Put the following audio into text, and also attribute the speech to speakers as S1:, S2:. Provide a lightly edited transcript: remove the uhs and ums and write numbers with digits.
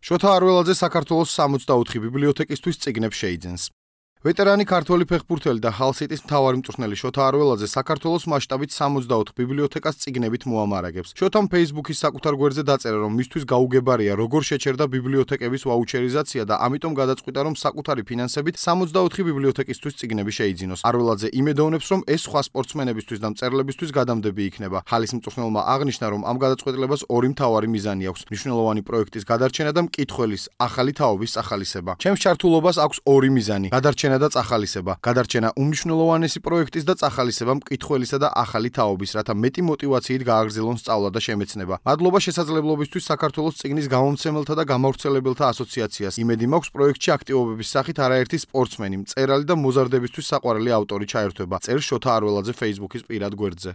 S1: შოთა არველაძე საქართველოს 64 ბიბლიოთეკისთვის წიგნებს შეიძენს. ვეტერანი ქართველი ფეხბურთელი და ჰალსიტის მთავარი მწვრთნელი შოთა არველაძე საქართველოს მასშტაბით 64 ბიბლიოთეკას წიგნებით მოამარაგებს. შოთამ Facebook-ის საკუთარ გვერდზე დაწერა, რომ მისთვის გაუგებარია, როგორ შეჩერდა ბიბლიოთეკების ვაუჩერიზაცია და ამიტომ გადაწყვიტა, რომ საკუთარი ფინანსებით 64 ბიბლიოთეკისთვის წიგნები შეიძინოს. არველაძე იმედოვნებს, რომ ეს სხვა სპორტსმენებისთვის და მწერლებისთვის გადამდები იქნება. ჰალის მწვრთნელმა აღნიშნა, რომ ამ გადაწყვეტილებას ორი მთავარი მიზანი აქვს: მნიშვნელოვანი პროექტის გადარჩენა და მკითხველის ახალი თაობის წახალისება. ჩემს ჩართულობას აქვს ორი მიზანი: გადარჩენა და წახალისება. გადარჩენა უმნიშვნელოვანესი პროექტის და წახალისება მკითხველისა და ახალი თაობის, რათა მეტი მოტივაციით გააგრძელონ სწავლა და შემეცნება. მადლობა შესაძლებლობისთვის საქართველოს წიგნის გამომცემელთა და გამავრცელებელთა ასოციაციას. იმედი მაქვს, პროექტში აქტივობების სახით არაერთი სპორტსმენი, მწერალი და მოზარდებისთვის საყვარელი ავტორი ჩაერთვება. წერს შოთა არველაძე Facebook-ის პირად გვერდზე.